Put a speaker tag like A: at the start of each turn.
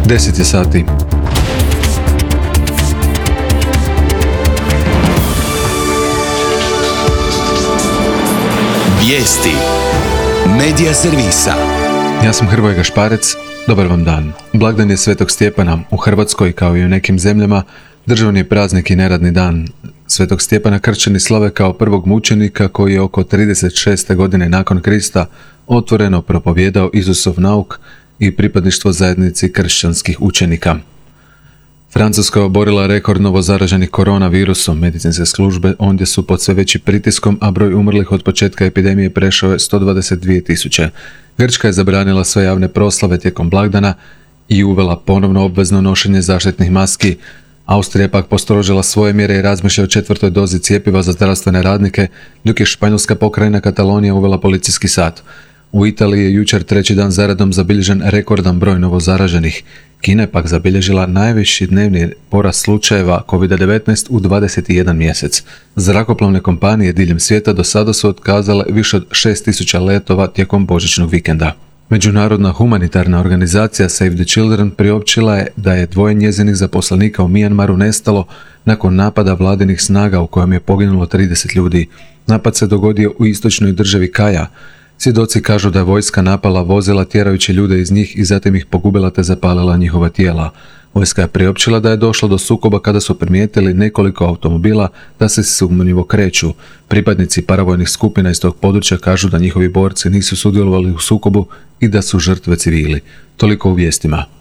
A: 10 je sati.
B: Vijesti Medija servisa.
A: Ja sam Hrvoje Gašparec, dobar vam dan. Blagdan je Svetog Stjepana. U Hrvatskoj, kao i u nekim zemljama, državni je praznik i neradni dan. Svetog Stjepana kršćani slave kao prvog mučenika koji je oko 36. godine nakon Krista otvoreno propovijedao Isusov nauk i pripadništvo zajednici kršćanskih učenika. Francuska je oborila rekord novozaraženih koronavirusom. Medicinske službe ondje su pod sve većim pritiskom, a broj umrlih od početka epidemije prešao je 122.000. Grčka je zabranila sve javne proslave tijekom blagdana i uvela ponovno obvezno nošenje zaštitnih maski. Austrija je pak postrožila svoje mjere i razmišlja o 4. dozi cjepiva za zdravstvene radnike, dok je španjolska pokrajina Katalonija uvela policijski sat. U Italiji je jučer 3. dan zaredom zabilježen rekordan broj novozaraženih. Kina je pak zabilježila najviši dnevni porast slučajeva COVID-19 u 21 mjesec. Zrakoplovne kompanije diljem svijeta do sada su otkazale više od 6.000 letova tijekom božićnog vikenda. Međunarodna humanitarna organizacija Save the Children priopćila je da je 2 njezinih zaposlenika u Mijanmaru nestalo nakon napada vladinih snaga u kojem je poginulo 30 ljudi. Napad se dogodio u istočnoj državi Kaja. Svjedoci kažu da je vojska napala vozila tjerajući ljude iz njih i zatim ih pogubila te zapalila njihova tijela. Vojska je priopćila da je došlo do sukoba kada su primijetili nekoliko automobila da se sumnjivo kreću. Pripadnici paravojnih skupina iz tog područja kažu da njihovi borci nisu sudjelovali u sukobu i da su žrtve civili. Toliko u vijestima.